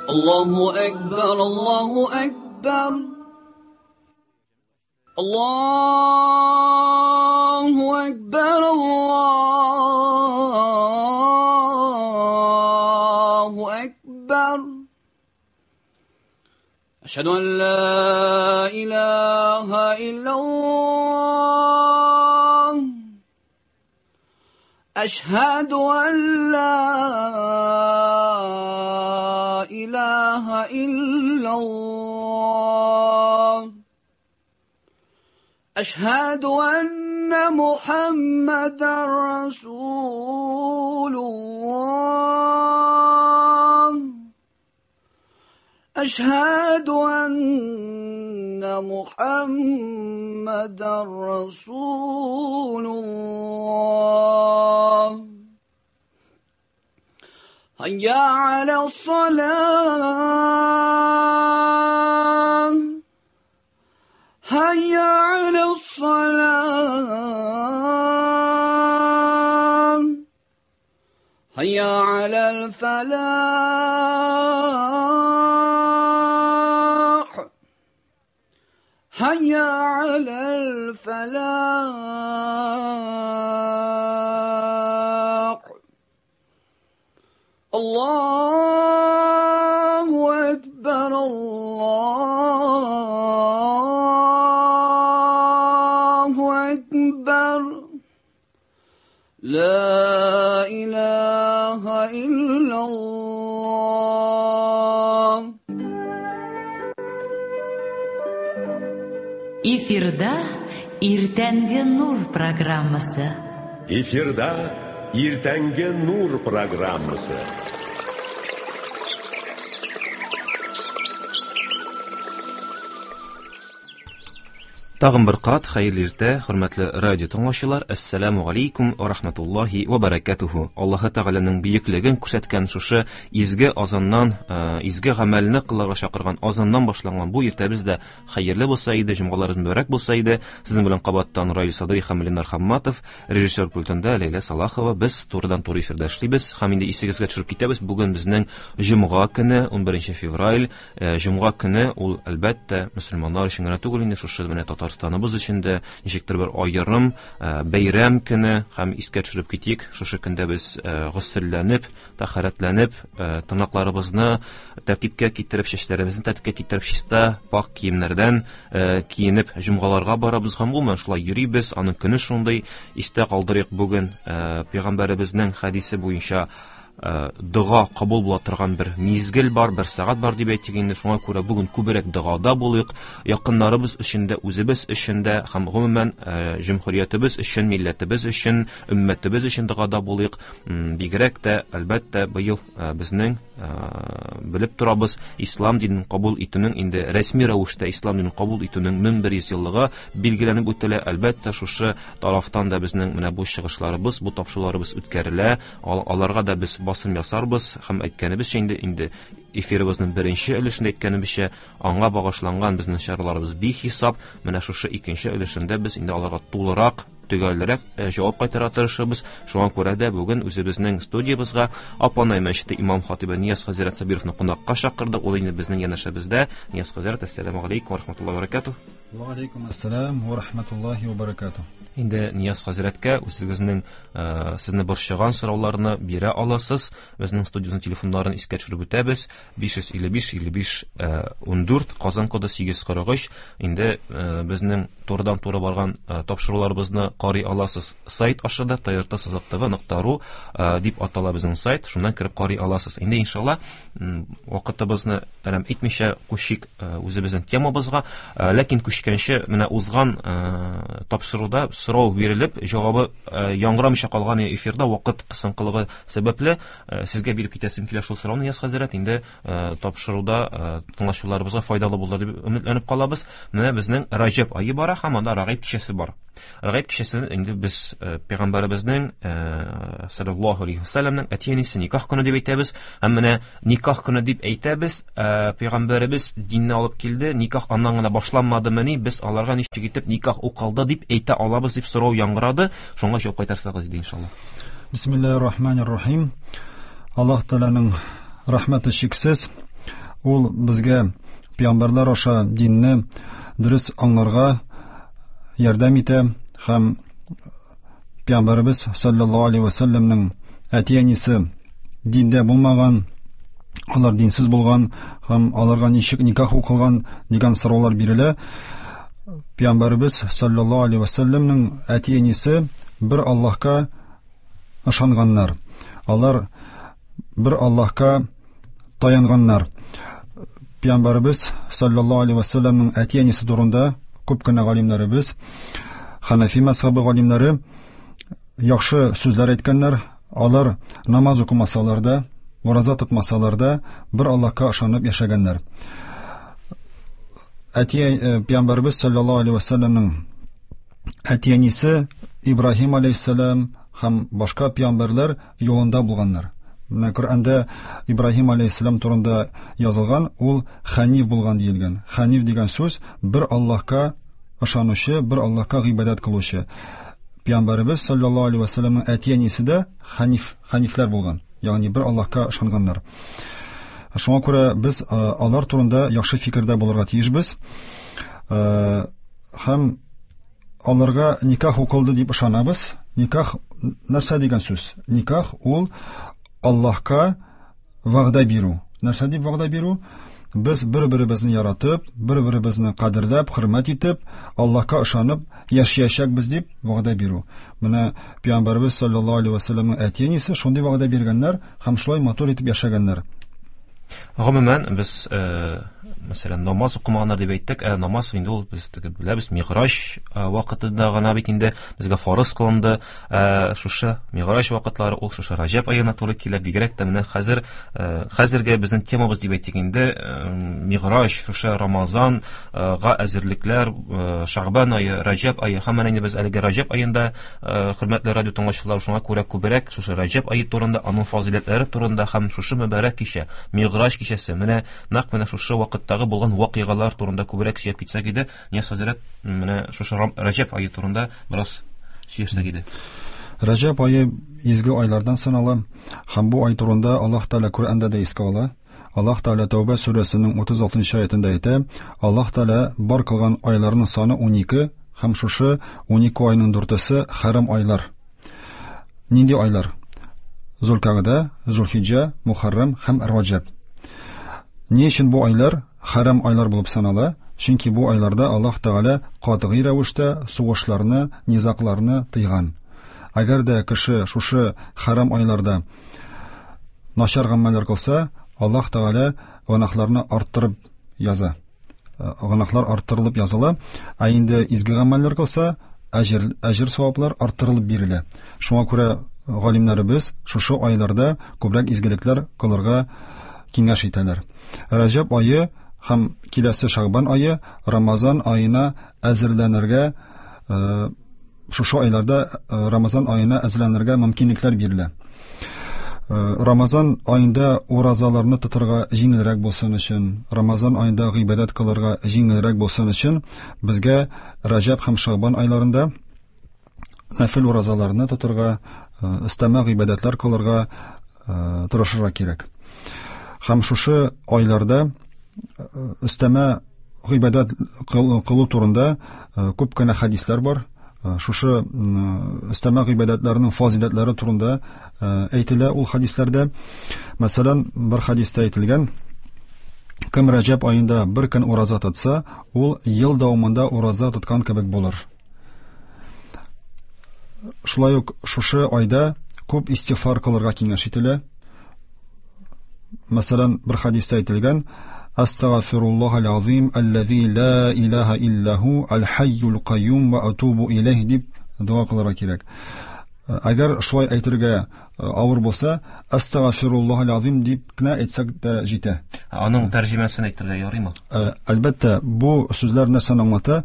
Allahu Ekber, Allahu Ekber. Allahu Ekber, Allahu Ekber. Eşhedü en la ilahe illallah. Eşhedü en la ilahe illallah. Eşhedü enne Muhammeden Resulullah. Eşhedü enne Muhammeden Resulullah. Hayya alas-salah. Hayya alas-salah. Hayya alal-falah. Hayya alal-falah. Allahu Ekber, Allahu Ekber. La ilahe illallah. Эфирда Иртәнге Нур программасы. Эфирда Иртәнге Нур программасы. Тагын бер кат хәерле иртә, хөрмәтле радио тыңлаучылар. Әссәламу алейкум ва рахматуллахи ва баракатуху. Аллаһы Тәгаләнең бөеклеген күрсәткән шушы изге азаннан, изге гамәлне кылырга чакырган азаннан башланган бу иртәбез дә хәерле булса иде, җомгаларыбыз мөбарәк булса иде. Сезнең белән кабаттан Раил Садри һәм Ленар Хамматов, режиссер пультында Ләйлә Салахова. Без турыдан-туры эфирда эшлибез һәм инде исегезгә төшереп китәбез. Бүген безнең җомга көне, 11 февраль. Җомга көне ул әлбәттә мөселманнар өчен генә түгел, инде шушы менә Татарстаныбыз өчен дә ничектер бер аерым бәйрәм көне. Һәм искә төшереп китик, шушы көндә без госелләнеп, тәһарәтләнеп, тырнакларыбызны тәртипкә китереп, чәчләребезне тәртипкә китереп, чиста, пак киемнәрдән киенеп җомгаларга барабыз һәм гомумән шулай йөрибез. Аның көне шундый. Истә калдырыйк, бүген пәйгамбәребезнең хәдисе буенча дога кабул була торган бер мизгел бар, бер сәгать бар дип әйтик инде. Шуңа күрә бүген күбрәк догада булыйк, якыннарыбыз өчен дә, үзебез өчен дә һәм гомумән җөмһүриятебез өчен, милләтебез өчен, өммәтебез өчен догада булыйк. Бигрәк тә, әлбәттә, быел безнең белеп торабыз, ислам динен кабул итүнең инде рәсми рәвештә ислам динен кабул итүнең 1100 еллыгы билгеләнеп үтелә. Әлбәттә, шушы тарафтан да безнең менә бу чыгышларыбыз, бу тапшыруларыбыз үткәрелә. Аларга да без басым ясарбыз һәм әйткәнебезчә инде эфирыбызның беренче өлешендә әйткәнебезчә, аңа багышланган безнең чараларыбыз бихисап. Менә шушы икенче өлешендә без инде аларга тулырак, төгәлрәк җавап кайтара тырышабыз. Шуңа күрә дә бүген үзебезнең студиябызга Апанай мәчете имам хатибы Нияз хәзрәт Сабировны кунакка чакырдык. Ул инде безнең янәшәбездә. Нияз хәзрәт, әссәламу алейкум ва рахматуллаһи ва баракатуһ. Ва алейкум ассалам ва рахматуллаһи ва баракатуһ. Инде Нияз хәзрәткә үзегезнең сезне борчыган сорауларны бирә аласыз. Безнең студиябезнең телефоннарын искә төшереп үтәбез. 555 55 14, Казан коды 843. Инде безнең турыдан-туры барган тапшыруларыбызны карый аласыз сайт аша да, trt.tv.ru дип атала безнең сайт, шуннан кереп карый аласыз. Инде иншалла вакытыбызны әрәм итмичә күчик үзебезнең темабызга. Ләкин күчкәнче менә узган тапшыруда сорау бирелеп, җавабы яңгырамыйча калган эфирда вакыт кысынкылыгы сәбәпле сезгә биреп китәсем килә шул сорауны, Нияз хәзрәт. Инде тапшыруда тыңлаучыларыбызга файдалы булыр дип өметләнеп калабыз. Менә безнең Раҗәб ае бара һәм анда Рагыйб кичәсе бар. Рагыйб кичәсен инде без пәйгамбәребезнең саллаллаһу алейхи ва саллямның әти-әнисе никах көне дип әйтәбез. Һәм менә никах көне дип әйтәбез, пәйгамбәребез динне алып килде, никах аннан гына башланмадымыни, без аларга ничек итеп никах укылды дип әйтә алабыз дип сорау яңгырады. Шуңа җавап кайтарсагыз иде иншаллаһ. Бисмиллаһир рахманир рахим. Аллаһ Тәгаләнең рәхмәте чиксез. Ул безгә пәйгамбәрләр аша динне дөрес аңларга ярдәм итә һәм пәйгамбәребез саллаллаһу алейһи ва сәлләмнең әти-әнисе диндә булмаган, алар динсез булган һәм аларга ничек никах укылган дигән сораулар бирелә. Пәйгамбәребез саллаллаһу алейһи ва сәлләмнең әти-әнисе бер Аллаһка ышанганнар. Алар бер Аллаһка таянганнар. Пәйгамбәребез саллаллаһу алейһи ва сәлләмнең әти-әнисе турында күп кенә галимнәребез, Ханафи мәзһәбе галимнәре яхшы сүзләр әйткәннәр. Алар намаз укымасалар да, ураза тотмасалар да, бер Аллаһка ышанып яшәгәннәр. Әти Пәйгамбәребез саллаллаһу алейһи ва сәлләмнең әти-әнисе Ибраһим алейһиссәлам һәм башка пәйгамбәрләр юлында булганнар. Менә Коръәндә Ибраһим алейһиссәлам турында язылган, ул хәниф булган диелгән. Хәниф дигән сүз бер Аллаһка ышанучы, бер Аллаһка гыйбадәт кылучы. Пәйгамбәребез саллаллаһу алейһи ва сәлламның әти-әнисе дә хәниф, хәнифләр булган, ягъни бер Аллаһка ышанганнар. Шуңа күрә без алар турында яхшы фикердә булырга тиешбез. Һәм аларга никах укылды дип ышанабыз. Никах нәрсә дигән сүз? Никах ул Аллаһка вәгъдә бирү. Нәрсә дип вәгъдә бирү? Без бер-беребезне яратып, бер-беребезне кадерләп, хөрмәт итеп, Аллаһка ышанып яшәячәкбез дип вәгъдә бирү. Менә Пәйгамбәребез саллаллаһу алейһи ва сәлләмнең әти-әнисе шундый вәгъдә биргәннәр һәм шулай матур итеп яшәгәннәр. Гомумән, без, мәсәлән, намаз укымаганнар дип әйттек, ә намаз инде ул без теге беләбез, Миграҗ вакытында гына бит инде безгә фарыз кылынды. Шушы Миграҗ вакытлары ул шушы Раҗәб аена туры килә, бигрәк тә менә хәзер, хәзерге безнең темабыз дип әйтик инде, Миграҗ, шушы Рамазанга әзерлекләр, Шәгъбан ае, Раҗәб ае һәм менә инде без әлеге Раҗәб аенда, хөрмәтле радио тыңлаучылар, шуңа күрә күбрәк шушы Раҗәб ае турында, аның фазыйләтләре турында һәм шушы мөбарәк кичә, Миграҗ кичәсе, менә нәкъ менә шушы вакыттагы булган вакыйгалар турында күбрәк сөйләп китсәк иде. Нияз хәзрәт, менә шушы Раҗәб ае турында бераз сөйләшсәк иде. Раҗәб ае изге айлардан санала һәм бу ай турында Аллаһ Тәгалә Коръәндә дә искә ала. Аллаһ Тәгалә Тәүбә сүрәсенең 36 нчы аятендә әйтә, Аллаһ Тәгалә бар кылган айларның саны 12 һәм шушы 12 айның дүртесе хәрам айлар. Нинди айлар? Зулкагда, Зулхиҗа, Мухаррам һәм Раҗәб. Ни өчен бу айлар хәрам айлар булып санала? Чөнки бу айларда Аллаһ Тәгалә катгый рәвештә сугышларны, низагларны тыйган. Әгәр дә кеше шушы хәрам айларда начар гамәлләр кылса, Аллаһ Тәгалә гөнаһларны арттырып яза. Гөнаһлар арттырылып языла, ә инде изге гамәлләр кылса, әҗер, әҗер саваплар арттырылып бирелә. Шуңа күрә галимнәребез шушы айларда күбрәк изгелекләр кылырга киңәш итәләр. Рәҗәб ае һәм киләсе Шәгъбан ае Рамазан аена әзерләнергә шушы айларда Рамазан аена әзерләнергә мөмкинлекләр бирелә. Рамазан аенда уразаларны тотарга җиңелрәк булсын өчен, Рамазан аенда гыйбадәт кылырга җиңелрәк булсын өчен, безгә Раҗәб һәм Шәгъбан айларында нәфил уразаларны тотарга, өстәмә гыйбадәтләр кылырга тырышырга кирәк. Һәм шушы айларда өстәмә гыйбадәт кылу турында күп кенә хәдисләр бар. Шушы өстәмә гыйбадәтләрнең фазиләтләре турында әйтелә ул хәдисләрдә. Мәсәлән, бер хәдистә әйтелгән, кем Раҗәб аенда бер көн ураза тотса, ул ел дәвамында ураза тоткан кебек булыр. Шулай ук шушы айда күп истигъфар кылырга киңәш ителә. Мәсәлән, бер хәдистә әйтелгән, Астагфируллахал азим аллази ла илаһа илля ху аль-хайюл кайюм ва атубу илейх дип дога кылырга кирәк. Әгәр шулай әйтергә авыр булса, Астагфируллахал азим дип кенә әйтсәк тә җитә. Аның тәрҗемәсен әйтергә ярыймы? Әлбәттә, бу сүзләр нәрсәне аңлата?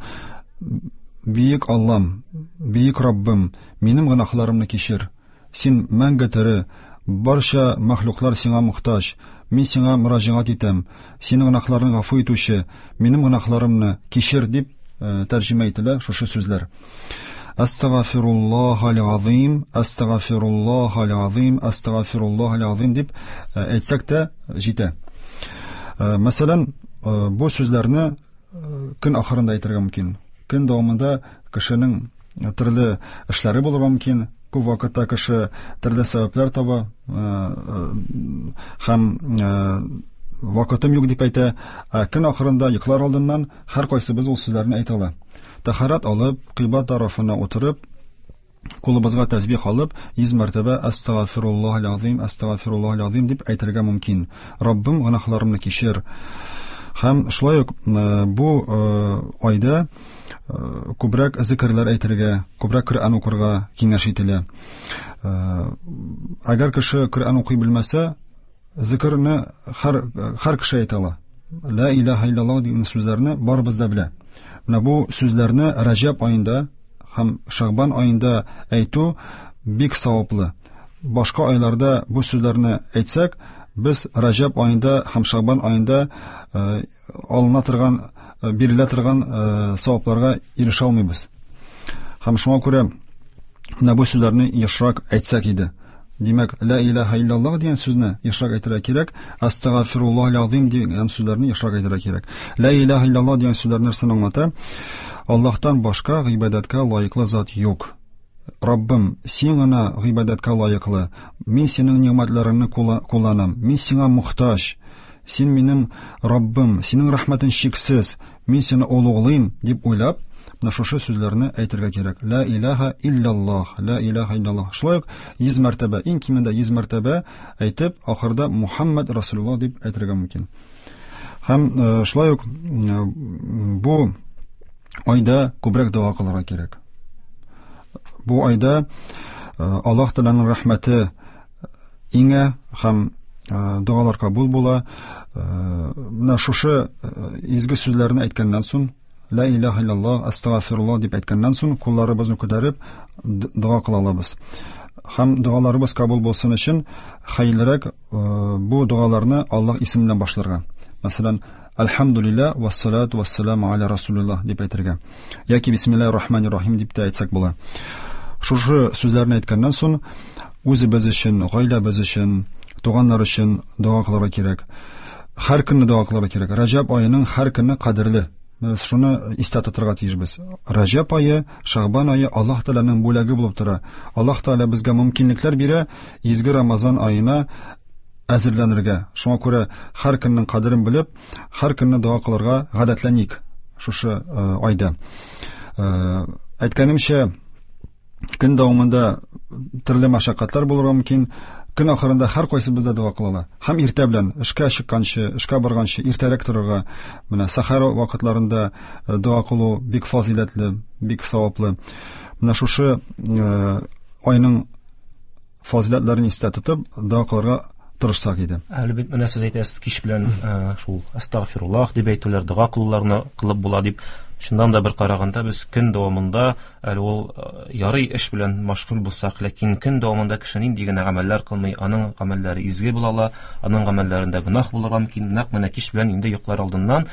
Бөек Аллам, бөек Раббым, минем гөнаһларымны кичер. Син мәңге тере, барча мәхлуклар сиңа мохтаҗ. Мин сиңа мөрәҗәгать итәм. Синең гөнаһларны гафу итүче, минем гөнаһларымны кичер, дип тәрҗемә ителә шушы сүзләр. Астагфируллахал азим, астагфируллахал азим, астагфируллахал азим дип әйтсәк тә җитә. Мәсәлән, бу сүзләрне көн ахырында әйтергә мөмкин. Көн дәвамында кешенең төрле эшләре булырга мөмкин. Күп вакытта кеше төрле сәбәпләр таба һәм вакытым юк дип әйтә. Ә көн ахырында йоклар алдыннан һәркайсыбыз ул сүзләрне әйтә ала. Тәһарәт алып, кыйбла тарафына утырып, кулыбызга тәсбих алып, 100 мәртәбә Астагфируллаһил азим, Астагфируллаһил азим дип әйтергә мөмкин. Раббым, гөнаһларымны кичер. Һәм шулай ук бу айда күбрәк зикерләр әйтергә, күбрәк Коръән укырга киңәш ителә. Әгәр кеше Коръән укый белмәсә, зикерне һәр кеше әйтә ала. Ла илаһа иллаллаһ дигән сүзләрне барыбыз да белә. Менә бу сүзләрне Раҗаб аенда һәм Шәгъбан аенда әйтү бик саваплы. Башка айларда бу сүзләрне әйтсәк, без Раҗаб аенда һәм Шәгъбан аенда алына торган, бирелә торган савапларга ирешә алмыйбыз. Һәм шуңа күрә менә бу сүзләрне ешрак әйтсәк иде. Димәк, ла илаһа иллаллаһ дигән сүзне ешрак әйтергә кирәк, астагфируллаһил азим дигән сүзләрне ешрак әйтергә кирәк. Ла илаһа иллаллаһ дигән сүзләр нәрсәне аңлата? Аллаһтан башка гыйбадәткә лаеклы зат юк. Раббым, син гына гыйбадәткә лаеклы. Мин синең нигъмәтләреңне кулланам. Мин сиңа мохтаҗ. Син минем Раббым, синең рәхмәтең чиксез. Мин сине олуглыйм дип уйлап, менә шушы сүзләрне әйтергә кирәк. Ла илаһа иллаллаһ, ла илаһа иллаллаһ. Шулай ук 100 мәртәбә, иң кимендә 100 мәртәбә әйтеп, ахырда Мухаммад Расулуллаһ дип әйтергә мөмкин. Һәм шулай ук бу айда күбрәк дога кылырга кирәк. Бу айда Аллаһ Тәгаләнең рәхмәте иңә һәм догалар кабул була. Менә шушы изге сүзләрне әйткәннән соң, Ла илаһа иллаллаһ, астагфируллаһ дип әйткәннән соң, кулларыбызны күтәреп дога кыла алабыз. Һәм догаларыбыз кабул булсын өчен хәерлерәк бу догаларны Аллаһ исеме белән башларга. Мәсәлән, Әлхәмдүлилләһ вассалату вассаламу аля расулиллаһ дип әйтергә. Яки бисмиллаһир рахманир рахим дип тә әйтсәк була. Шушы сүзләрне әйткәннән соң, үзебез өчен, гаиләбез өчен, туганнар өчен дога кылырга кирәк. Һәр көнне дога кылырга кирәк. Раҗаб аеның һәр көне кадерле. Без шуны истә тотырга тиешбез. Раҗаб ае, Шәгъбан ае Аллаһ Тәгаләнең бүләге булып тора. Аллаһ Тәгалә безгә мөмкинлекләр бирә изге Рамазан аена әзерләнергә. Шуңа күрә һәр көннең кадерен белеп, һәр көнне дога кылырга гадәтләник шушы айда. Әйткәнемчә, көн дәвамында төрле мәшәкатьләр булырга мөмкин. Көн ахырында һәр кайсыбыз да дога кыла ала. Һәм иртә белән эшкә чыкканчы, эшкә барганчы иртәрәк торырга, менә сәхәр вакытларында дога кылу бик фазыйләтле, бик саваплы. Менә шушы айның фазыйләтләрен истә тотып, дога кылырга тырышсак иде. Әле бит менә сез әйтәсез, кич белән шул астагфируллаһ дип әйтүләр, дога кылуларны кылып була дип. Чыннан да бер караганда без көн дәвамында әле ул ярый эш белән мәшгуль булсак, ләкин көн дәвамында кеше нинди генә гамәлләр кылмый, аның гамәлләре изге була ала, аның гамәлләрендә гөнаһ булырга мөмкин. Нәкъ менә кич белән инде йоклар алдыннан,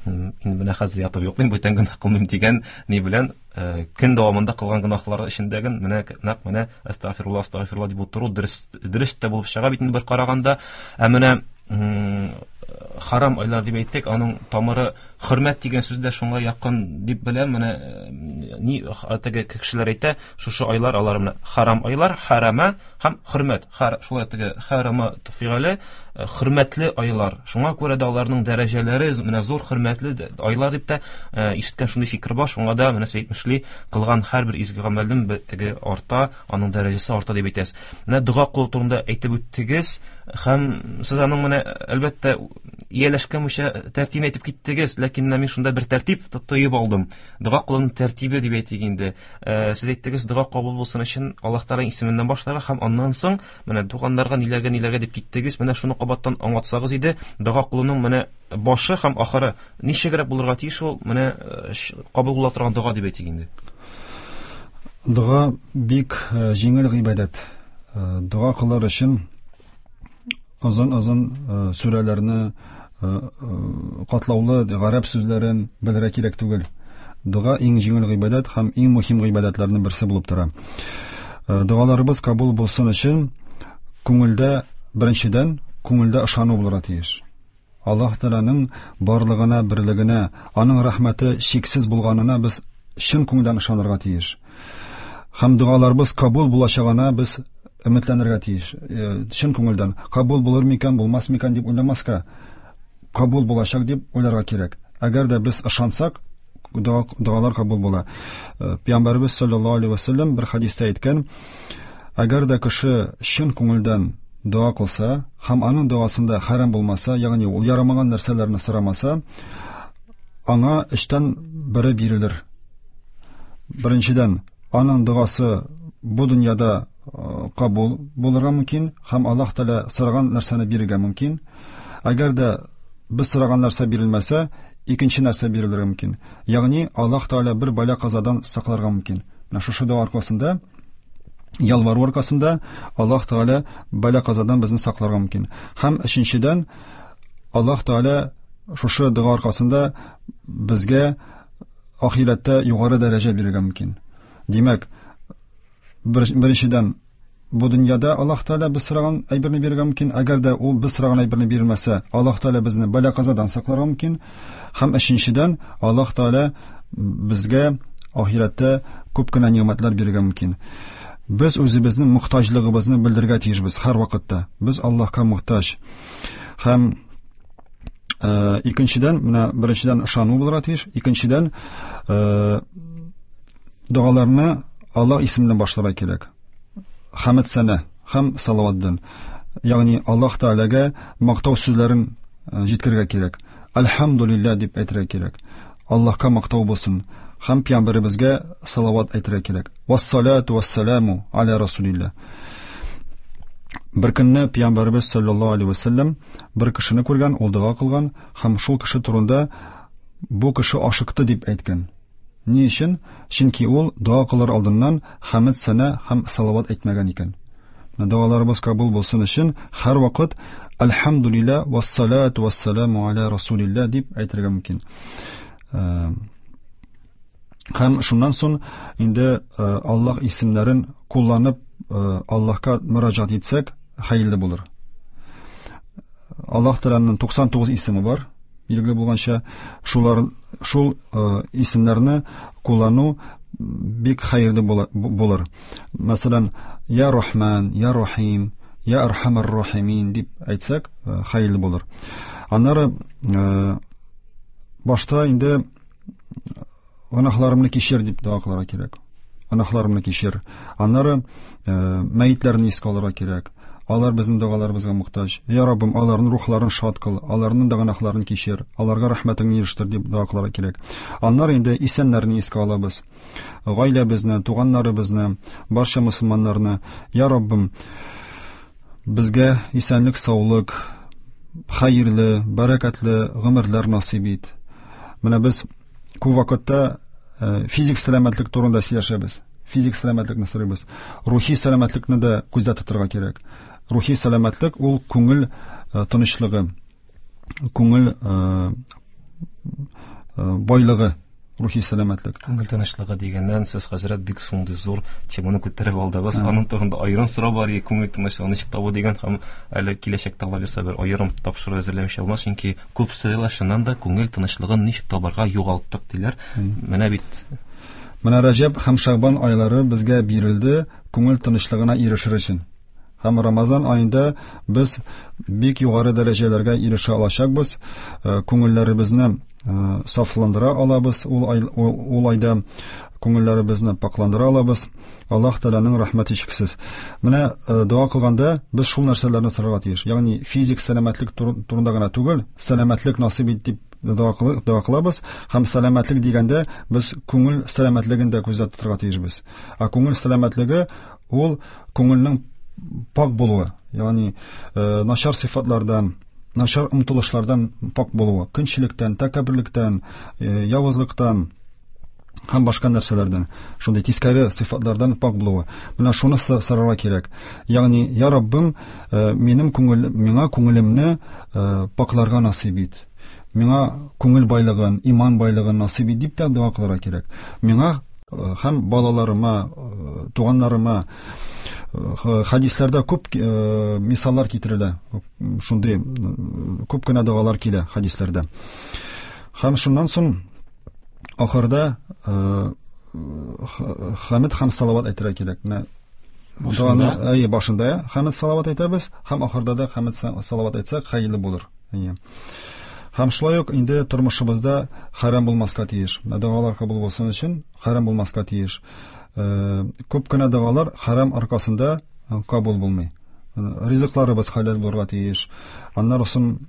инде менә хәзер ятып йоклыйм, бүтән гөнаһ кылмыйм дигән ни белән көн дәвамында кылган гөнаһлары эчендәге менә нәкъ менә астагфируллаһ, астагфируллаһ дип утыру дөрес тә булып чыга бит инде бер караганда. Ә менә харам айлар дип әйттек, аның тамыры хөрмәт дигән сүз дә шуңа якын дип беләм. Менә ни теге кешеләр әйтә, шушы айлар алар менә харам айлар, харама һәм хөрмәт. Шулай теге харама фигыле хөрмәтле айлар. Шуңа күрә дә аларның дәрәҗәләре менә зур хөрмәтле айлар дип тә ишеткән шундый фикер бар. Шуңа да менә сез әйтмешли, кылган һәрбер изге гамәлнең теге арта, аның дәрәҗәсе арта дип әйтәсез. Менә дога кылу турында әйтеп үттегез һәм сез аның менә әлбәттә ияләшкәнчә тәртибен әйтеп киттегез, ләкин менә мин шунда бер тәртип тоеп алдым. Дога кылуның тәртибе дип әйтик инде. Сез әйттегез, дога кабул булсын өчен Аллаһ Тәгаләнең исеменнән башларга һәм аннан соң менә туганнарга ниләргә ниләргә дип киттегез. Менә шуны кабаттан аңлатсагыз иде, дога кылуның менә башы һәм ахыры ничегрәк булырга тиеш ул, менә кабул була торган дога дип әйтик инде. Дога бик җиңел гыйбадәт. Дога кылыр өчен озын-озын сүрәләрне, катлаулы гарәп сүзләрен белергә кирәк түгел. Дога иң җиңел гыйбадәт һәм иң мөһим гыйбадәтләрнең берсе булып тора. Догаларыбыз кабул булсын өчен күңелдә, беренчедән, күңелдә ышану булырга тиеш. Аллаһ Тәгаләнең барлыгына, берлегенә, аның рәхмәте чиксез булганына без чын күңелдән ышанырга тиеш. Һәм догаларыбыз кабул булачагына без өметләнергә тиеш. Чын күңелдән кабул булыр микән, булмас микән дип уйламаска, кабул булачак дип уйларга кирәк. Әгәр дә без ышансак, догалар кабул була. Пәйгамбәребез саллаллаһу алейһи ва саллям бер хәдистә әйткән, әгәр дә кеше чын күңелдән дога кылса һәм аның догасында хәрам булмаса, ягъни ул ярамаган нәрсәләрне сорамаса, аңа өчтән бере бирелер. Беренчедән, аның догасы бу дөньяда кабул булырга мөмкин һәм Аллаһ Тәгалә сораган нәрсәне бирергә мөмкин. Әгәр дә без сораган нәрсә бирелмәсә, икенче нәрсә бирелергә мөмкин. Ягъни Аллаһ Тәгалә бер бәла-казадан сакларга мөмкин. Менә шушы дога аркасында, ялвару аркасында Аллаһ Тәгалә бәла-казадан безне сакларга мөмкин. Һәм өченчедән, Аллаһ Тәгалә шушы дога аркасында безгә ахирәттә югары дәрәҗә бирергә мөмкин. Димәк, беренчедән, бу дөньяда Аллаһ Тәгалә без сораган әйберне бирергә мөмкин. Әгәр дә ул без сораган әйберне бирмәсә, Аллаһ Тәгалә безне бәла-казадан сакларга мөмкин. Һәм өченчедән, Аллаһ Тәгалә безгә ахирәттә күп кенә нигъмәтләр бирергә мөмкин. Без үзебезнең мохтаҗлыгыбызны белдерергә тиешбез һәр вакытта. Без Аллаһка мохтаҗ. Һәм икенчедән, менә беренчедән ышану булырга тиеш, икенчедән, догаларны Аллаһ исеменнән башларга кирәк. Хәмд сәнә һәм салават белән. Ягъни Аллаһ Тәгаләгә мактау сүзләрен җиткерергә кирәк. Альхамдулилла дип әйтергә кирәк. Аллаһка мактау булсын. Һәм пәйгамбәребезгә салават әйтергә кирәк. Вассалату вассаламу аля расулилла. Бер көнне пәйгамбәребез саллаллаһу алейһи вәсәлләм бер кешене күргән, ул дога кылган һәм шул кеше турында бу кеше ашыкты дип әйткән. Ни өчен? Чөнки ул дога кылыр алдыннан хәмд сәнә һәм салават әйтмәгән икән. Менә догаларыбыз кабул булсын өчен һәр вакыт Альхамдулилла вассалату вассаламу аля расулилла дип әйтергә мөмкин. Һәм шуннан соң инде Аллаһ исемнәрен кулланып Аллаһка мөрәҗәгать итсәк, хәерле булыр. Аллаһ Тәгаләнең 99 исеме бар, билгеле булганча, шул исемнәрне куллану бик хәерле булыр. Мәсәлән, Я Рахман, Я Рахим, Я Архамар Рахимин дип әйтсәк, хәерле булыр. Аннары башта инде гөнаһларымны кичер дип дога кылырга кирәк. Гөнаһларымны кичер. Аннары мәетләрне искә алырга кирәк. Алар безнең догаларыбызга мохтаҗ. Я Раббым, аларның рухларын шат кыл, аларның да гөнаһларын кичер, аларга рәхмәтеңне ирештер дип дога кылырга кирәк. Аннары инде исәннәрне искә алабыз. Гаиләбезне, туганнарыбызны, барча мусульманнарны. Я Раббым, безгә исәнлек, саулык, хәерле, бәрәкәтле гомерләр насыйп ит. Менә без күп вакытта физик сәламәтлек турында сөйләшәбез. Физик сәламәтлекне сорыйбыз. Рухи сәламәтлекне дә күздә тотырга кирәк. Рухи сәламәтлек ул күңел тынычлыгы, күңел байлыгы, рухи сәламәтлек. Күңел тынычлыгы дигәннән сез, хәзрәт, бик шундый зур теманы күтәреп алдыгыз. Аның турында аерым сорау бар, күңел тынычлыгын ничек табу дигән, һәм әле киләчәктә Алла бирсә бер аерым тапшыру әзерләмичә булмас, чөнки күп сорыйлар, чыннан да күңел тынычлыгын ничек табарга югалттык диләр. Менә бит. Менә Рәҗәб һәм Шәгъбан айлары безгә бирелде күңел тынычлыгына ирешер өчен. Һәм Рамазан аенда без бик югары дәрәҗәләргә ирешә алачакбыз, күңелләребезне сафландыра алабыз, ул айда күңелләребезне пакландыра алабыз. Аллаһ Тәгаләнең рәхмәте чиксез. Менә дога кылганда без шул нәрсәләрне сорарга тиеш. Ягъни физик сәламәтлек турында гына түгел, сәламәтлек насыйп ит дип дога кылабыз. Һәм сәламәтлек дигәндә без күңел сәламәтлеген дә күздә тотарга тиешбез. Ә күңел сәламәтлеге ул күңелнең пак булуы, ягъни начар сыйфатлардан, начар омтылышлардан пак булуы, көнчелектән, тәкәбберлектән, явызлыктан һәм башка нәрсәләрдән, шундый тискәре сыйфатлардан пак булуы. Менә шуны сорарга кирәк. Ягъни, я Раббым, минем күңел, миңа күңелемне пакларга насыйп ит. Миңа күңел байлыгын, иман байлыгын насыйп ит дип тә дога кылырга кирәк. Миңа һәм балаларыма, туганнарыма, Хәдисләрдә күп мисаллар китерелә. Шундый күп кенә догалар килә хәдисләрдә. Һәм шуннан соң ахырда хәмид һәм салават әйтергә кирәк. Менә доганы, әйе, башында хәмид салават әйтәбез, һәм ахырда да хәмид салават әйтсәк, хәерле булыр. Әйе. Һәм шулай ук инде тормышыбызда хәрам булмаска тиеш. Менә догалар кабул булсын өчен хәрам булмаска тиеш. Күп кенә догалар хәрам аркасында кабул булмый. Ризыкларыбыз хәләл булырга тиеш. Аннары соң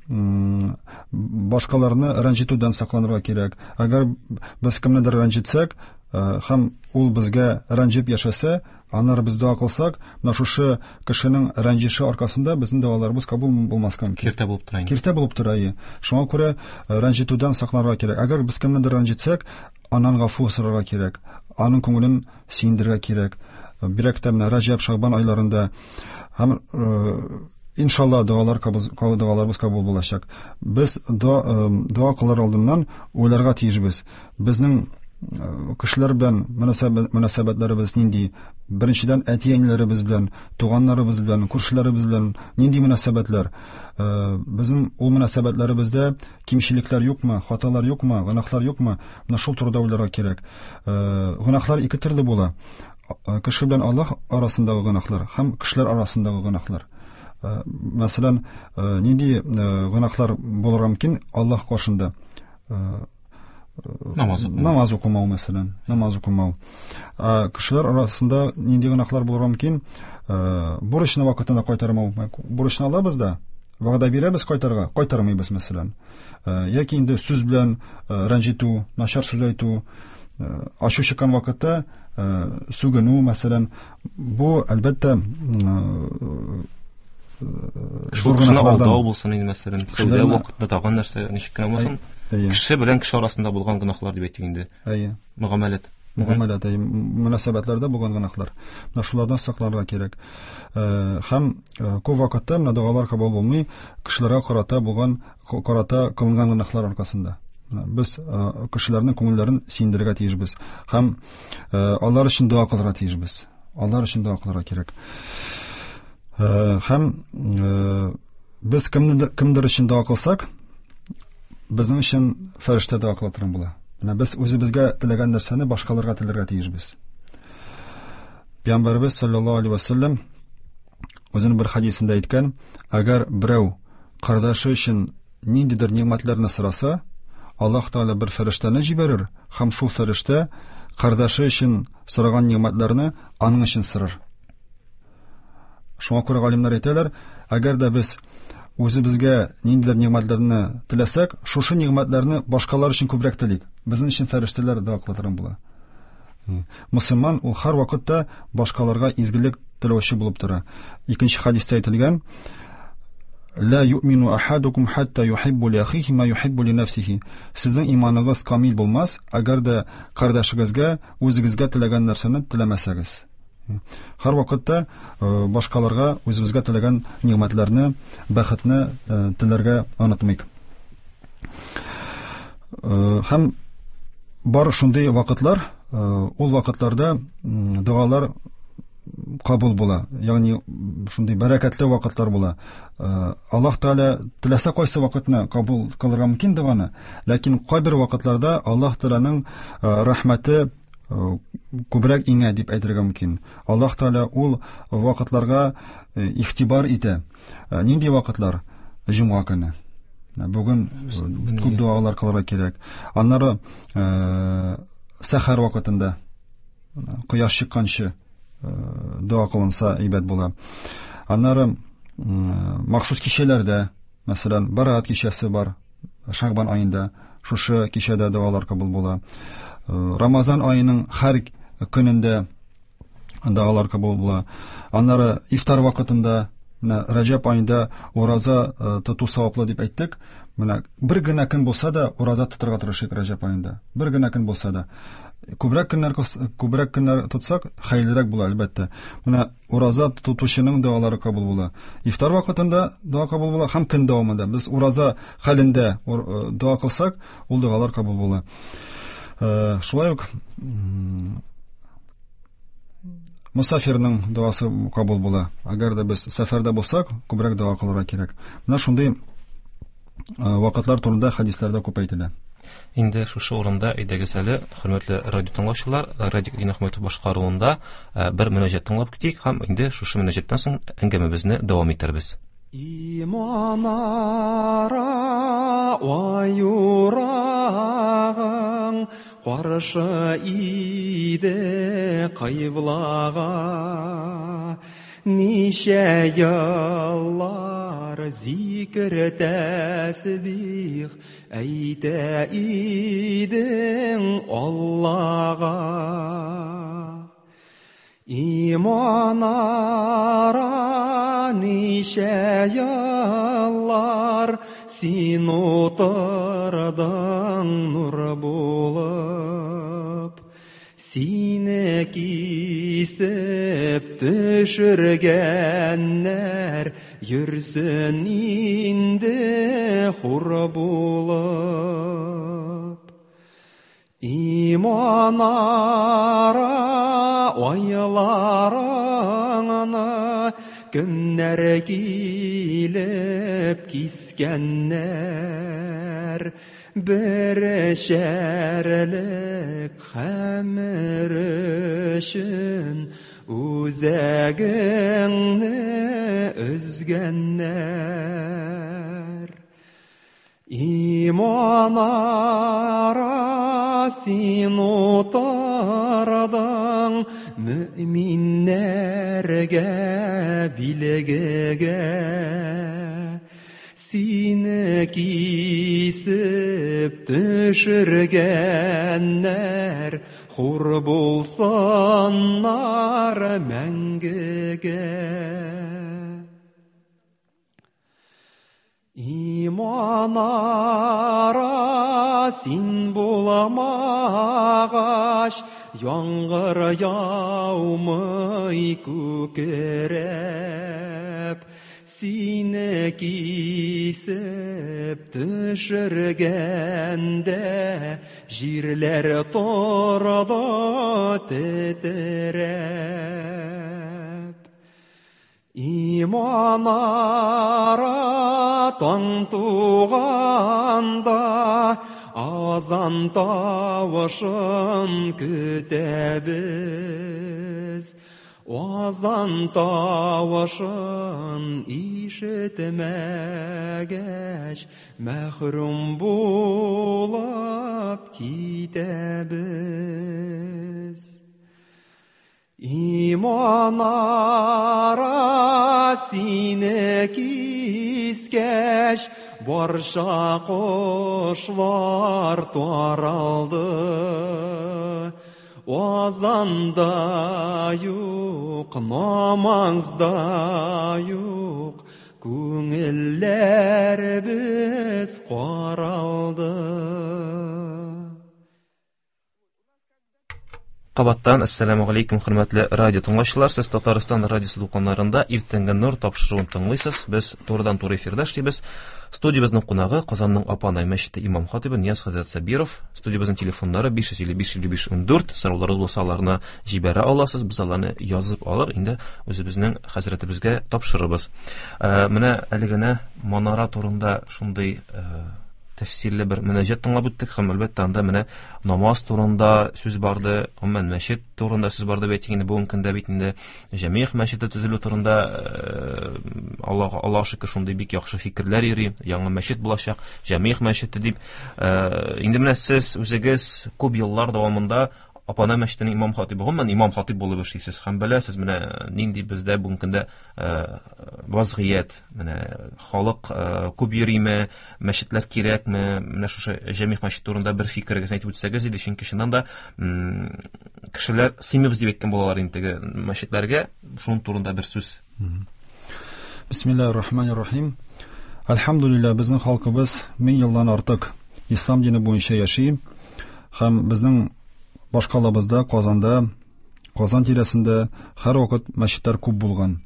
башкаларны рәнҗетүдән сакланырга кирәк. Әгәр без кемнедер рәнҗетсәк, һәм ул безгә рәнҗеп яшәсә, аннары без дога кылсак, менә шушы кешенең рәнҗеше аркасында безнең догаларыбыз кабул булмаска мөмкин. Киртә булып тора инде. Киртә булып тора, әйе. Шуңа күрә рәнҗетүдән сакланырга кирәк. Әгәр без кемнедер рәнҗетсәк, аннан гафу сорарга кирәк. Аның күңелен сөендерергә кирәк. Бигрәк тә менә Раҗәб, Шәгъбан айларында һәм иншалла догаларыбыз кабул булачак. Без дога кылыр алдыннан уйларга тиешбез. Безнең кешеләр белән мөнәсәбәтләребез нинди? Беренчедән, әти-әниләребез белән, туганнарыбыз белән, күршеләребез белән нинди мөнәсәбәтләр? Безнең ул мөнәсәбәтләребездә кимчелекләр юкмы, хаталар юкмы, гөнаһлар юкмы? Менә шул турыда уйларга кирәк. Гөнаһлар ике төрле була. Кеше белән Аллаһ арасындагы гөнаһлар һәм кешеләр арасындагы гөнаһлар. Мәсәлән, нинди гөнаһлар булырга мөмкин Аллаһ каршында? Намаз укымау. Намаз укымау, мәсәлән, намаз укымау. Кешеләр арасында нинди гөнаһлар булырга мөмкин? Бурычны вакытында кайтармау. Бурычны алабыз да, вәгъдә бирәбез кайтарга, кайтармыйбыз, мәсәлән. Яки инде сүз белән рәнҗетү, начар сүз әйтү, ачу чыккан вакытта сүгенү, мәсәлән, бу, әлбәттә, Шул кешене алдау булсын инде, мәсәлән, сәүдә вакытында тагын нәрсә, ничек кенә булсын, кеше белән кеше арасында булган гөнаһлар дип әйтик инде. Әйе. Мөгамәләт. Мөгамәләт, әйе, мөнәсәбәтләрдә булган гөнаһлар. Менә шулардан сакланырга кирәк. Һәм күп вакытта менә догалар кабул булмый, кешеләргә карата булган, карата кылынган гөнаһлар аркасында. Без кешеләрнең күңелләрен сөендерергә тиешбез. Һәм алар өчен дога кылырга тиешбез. Алар өчен дога кылырга кирәк. Һәм без кемдер өчен дога кылсак, безнең өчен фәрештә дога кыла торган була. Менә без үзебезгә теләгән нәрсәне башкаларга теләргә тиешбез. Пәйгамбәребез саллаллаһу алейһи ва саллям үзенең бер хәдисендә әйткән, әгәр берәү кардәше өчен ниндидер нигъмәтләрне сораса, Аллаһ Тәгалә бер фәрештәне җибәрер һәм шул фәрештә кардәше өчен сораган нигъмәтләрне аның өчен сорар. Шуңа күрә галимнәр әйтәләр, әгәр дә без үзебезгә ниндидер нигъмәтләрне теләсәк, шушы нигъмәтләрне башкалар өчен күбрәк телик. Безнең өчен фәрештәләр дога кыла торган була. Мөселман ул һәр вакытта башкаларга изгелек теләүче булып тора. Икенче хәдистә әйтелгән, Ла юъмину ахадукум хатта юхиббу ли ахихи ма юхиббу ли нафсихи. Сезнең иманыгыз камил булмас, әгәр дә кардәшегезгә үзегезгә теләгән нәрсәне теләмәсәгез. Һәр вакытта башкаларга үзебезгә теләгән нигъмәтләрне, бәхетне теләргә онытмыйк. Һәм бар шундый вакытлар, ул вакытларда догалар кабул була, ягъни шундый бәрәкәтле вакытлар була. Аллаһ Тәгалә теләсә кайсы вакытны кабул кылырга мөмкин доганы, ләкин кайбер вакытларда Аллаһ Тәгаләнең рәхмәте күбрәк иңә дип әйтергә мөмкин. Аллаһ Тәгалә ул вакытларга игътибар итә. Нинди вакытлар? Җомга көне. Бүген күп догалар кылырга кирәк. Аннары сәхәр вакытында, кояш чыкканчы дога кылынса әйбәт була. Аннары махсус кичәләрдә, мәсәлән, Бараат кичәсе бар, Шәгъбан аенда, шушы кичәдә догалар кабул була. Рамазан аеның һәр көнендә догалар кабул була. Аннары ифтар вакытында, менә Раҗәб аенда ураза тоту саваплы дип әйттек. Менә бер генә көн булса да ураза тотарга тырышыйк Раҗәб аенда. Бер генә көн булса да. Күбрәк көннәр тотсак, хәерлерәк була, әлбәттә. Менә ураза тотучының догалары кабул була. Ифтар вакытында дога кабул була һәм көн дәвамында. Без ураза хәлендә дога кылсак, ул догалар кабул була. Шулай ук, Мусафирның догасы кабул була. Әгәр дә без сәфәрдә булсак, күбрәк дога кылырга кирәк. Менә шундый вакытлар турында хәдисләрдә күп әйтелә. Инде шушы урында әйдәгез әле, хөрмәтле радио тыңлаучылар, Радик Динәхмәтов башкаруында бер мөнәҗәт тыңлап китик һәм инде шушы мөнәҗәттән соң әңгәмәбезне дәвам итәрбез. Иман ара аюрагың каршы иде кыйблага. Ничә еллар зикр тәсбих әйтә идең Аллага. Иман ара ничә еллар син утырдың нур булып. Сине кисеп төшергәннәр йөрсен инде хур булып. Иман ара айларыңны кемнәр килеп кискәннәр? Бер шәрлек хәмер өчен үзәгеңне өзгәннәр. Иман ара син утырдың мөминнәргә билгегә. Сине кисеп төшергәннәр хур булсыннар мәңгегә. Иман ара син буламагач, яңгыр яумый күкрәп. Сине кисеп төшергәндә җирләр торды тетрәп. Иман ара таң туганда азан тавышын көтәбез. Азан тавышын ишетмәгәч, мәхрүм булып китәбез. Иман ара сине кискәч, барча кошлар таралды. Азанда юк, намазда юк, күңелләребез каралды. Кабаттан ассаламу алейкум, хөрмәтле радио тыңлаучылар. Сез Татарстан радиосы дулкыннарында Иртәнге нур тапшыруын тыңлыйсыз. Без турыдан-туры эфирда эшлибез. Студиябезнең кунагы Казанның Апанай мәчете имам хатибы Нияз хәзрәт Сабиров. Студиябезнең телефоннары 555 55 14. Сорауларыгыз булса, аларны җибәрә аласыз. Без аларны язып алып, инде үзебезнең хәзрәтебезгә тапшырырбыз. Менә әле генә манара турында шундый тәфсирле бер мөнәҗәт тыңлап үттек һәм әлбәттә анда менә намаз турында сүз барды, гомумән мәчет турында сүз барды бит инде бүгенге көндә бит инде Җәмигъ мәчете төзелү турында Аллаһ Аллаһ шөкер шундый бик яхшы фикерләр йөри, яңа мәчет булачак, Җәмигъ мәчете дип. Инде менә сез үзегез күп еллар дәвамында Апанай мәчетенең имам хатибы, гомумән имам хатиб булып эшлисез һәм беләсез менә нинди бездә бүгенге көндә вазгыять, менә халык күп йөриме, мәчетләр кирәкме, менә шушы Җәмигъ мәчете турында бер фикерегезне әйтеп үтсәгез иде, чөнки чыннан да кешеләр сыймыйбыз дип әйткән булалар инде теге мәчетләргә, шуның турында бер сүз. Бисмиллахир рахманир рахим. Альхамдулилла, безнең халкыбыз 1000 елдан артык ислам дине буенча яши һәм безнең башкалабызда, Казанда, Казан тирәсендә һәрвакыт мәчетләр күп булган.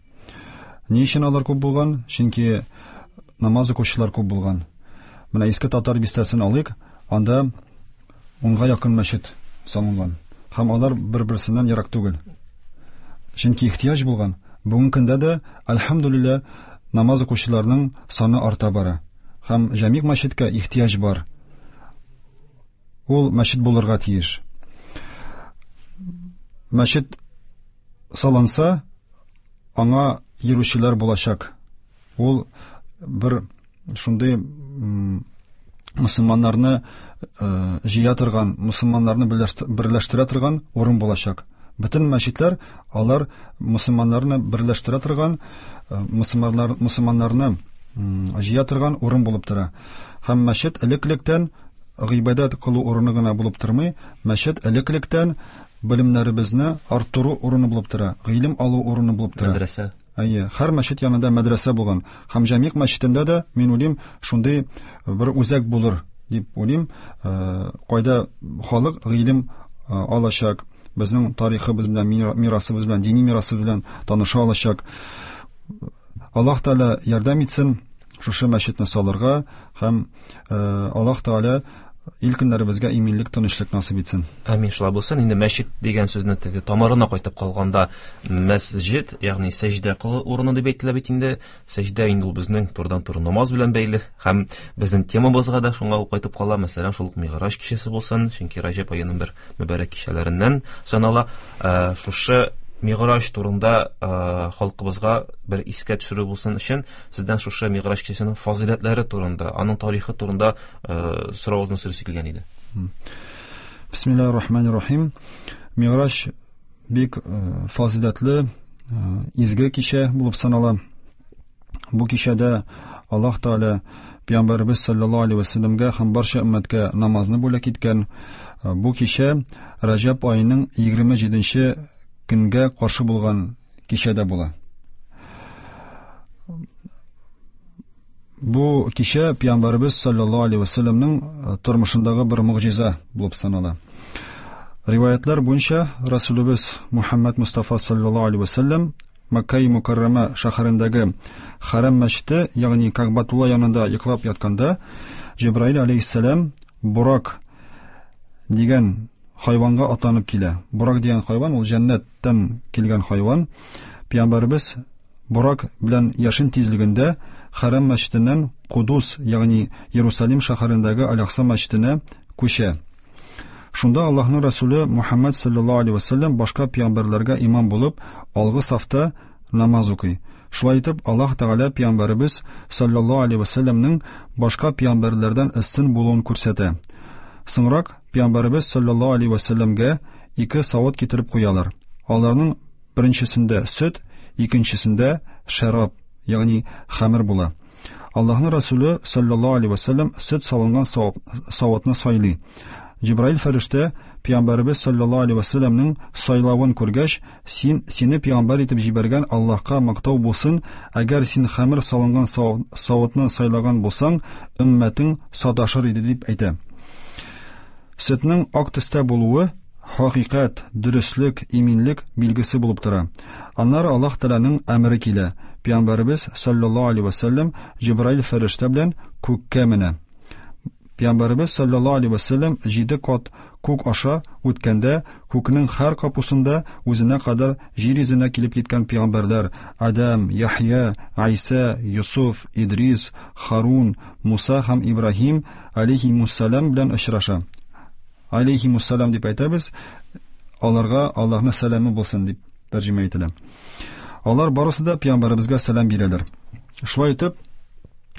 Ни өчен алар күп булган? Чөнки намаз укучылар күп булган. Менә Иске Татар бистәсен алыйк, анда 10-га якын мәчет салынган. Һәм алар бер-берсеннән ерак түгел. Чөнки ихтыяҗ булган. Бүгенге көндә дә, әлхәмдүлилләһ, намаз укучыларның саны арта бара. Һәм җәмигъ мәчеткә ихтыяҗ бар. Ул мәчет булырга тиеш. Мәчет салынса, аңа йөрүчеләр булачак. Ул бер шундый мөселманнарны җыя торган, мөселманнарны берләштерә торган урын булачак. Бөтен мәчетләр алар мөселманнарны берләштерә торган, мөселманнарны җыя торган урын булып тора. Һәм мәчет элек-электән гыйбадәт кылу урыны гына булып тормый, мәчет элек-электән белемнәребезне арттыру урыны булып тора, гыйлем алу урыны булып тора. Мәдрәсә. Әйе, һәр мәчет янында мәдрәсә булган. Һәм Җәмигъ мәчетендә дә, мин уйлыйм, шундый бер үзәк булыр дип уйлыйм, кайда халык гыйлем алачак, безнең тарихыбыз белән, мирасыбыз белән, дини мирасыбыз белән таныша алачак. Аллаһ Тәгалә ярдәм итсен шушы мәчетне салырга һәм Аллаһ Тәгалә ил көннәребезгә иминлек, тынычлык насыйп итсен. Амин, шулай булсын. Инде мәчет дигән сүзне теге тамырына кайтып калганда, мәсҗид, ягъни сәҗдә кылу урыны дип әйтелә бит инде. Сәҗдә инде ул безнең турыдан-туры намаз белән бәйле һәм безнең темабызга да шуңа ул кайтып кала. Мәсәлән, шул ук Мигъраҗ кичәсе булсын, чөнки Раҗәб аеның бер мөбарәк кичәләреннән санала. Шушы Мигъраҗ турында халкыбызга бер искә төшерү булсын өчен сездән шушы Мигъраҗ кичәсенең фазыйләтләре турында, аның тарихы турында соравыгызны сорыйсы килгән иде. Бисмиллаһир рахманир рахим. Мигъраҗ бик фазыйләтле, изге кичә булып санала. Бу кичәдә Аллаһ Тәгалә Пәйгамбәребез саллаллаһу алейһи ва сәлләмгә һәм барча өммәткә намазны бүләк иткән. Бу кичә Раҗәб аеның 27-нче көнгә каршы булган кичәдә була. Бу кичә Пәйгамбәребез саллаллаһу алейһи ва сәлләмнең тормышындагы бер могҗиза булып санала. Риваятлар буенча Расулыбыз Мухаммад Мустафа саллаллаһу алейһи ва сәлләм Мәккә Мукаррама шәһәрендәге Хәрам мәчете, ягъни Кәгъбәтулла янында йоклап ятканда, Җибраил алейһиссәлам Бурак дигән хайванга атланып килә. Бурак дигән хайван ул җәннәттән килгән хайван. Пәйгамбәребез Бурак белән яшен тизлегендә Хәрам мәчетеннән Кудус, ягъни Иерусалим шәһәрендәге Аль-Акса мәчетенә күчә. Шунда Аллаһның Расулы Мухаммад саллаллаһу алейһи ва саллям башка пәйгамбәрләргә имам булып, алгы сафта намаз укый. Шулай итеп, Аллаһ Тәгалә пәйгамбәребез саллаллаһу алейһи ва саллямның башка пәйгамбәрләрдән өстен булуын күрсәтә. Соңрак пәйгамбәребез саллаллаһу алейһи ва саллямгә ике савыт китереп куялар. Аларның беренчесендә сөт, икенчесендә шәраб, ягъни хәмер була. Аллаһның Расулы саллаллаһу алейһи ва саллям сөт салынган савытны сайлый. Җибраил фәрештә Пәйгамбәребез саллаллаһу алейһи ва саллямның сайлавын күргәч, син сине пәйгамбәр итеп җибәргән Аллаһка мактау булсын, әгәр син хәмер салынган савытны сайлаган булсаң, өммәтең саташыр иде дип әйтә. Сөтнең ак төстә булуы хакыйкать, дөреслек, иминлек билгесе булып тора. Аннары Аллаһ Тәгаләнең әмере килә. Пәйгамбәребез саллаллаһу алейһи ва саллям Җибраил фәрештә белән күккә менә. Пәйгамбәребез саллаллаһу алейһи ва саллям 7 кат күк аша үткәндә, күкнең һәр капусында үзенә кадәр җир йөзенә килеп киткән пәйгамбәрләр Адам, Яхья, Айса, Юсуф, Идрис, Харун, Муса һәм Ибраһим алейһимуссалам белән очраша. Алейһимуссалам дип әйтәбез, аларга Аллаһның сәламе булсын дип тәрҗемә ителә. Алар барысы да пәйгамбәребезгә сәлам бирәләр. Шулай итеп,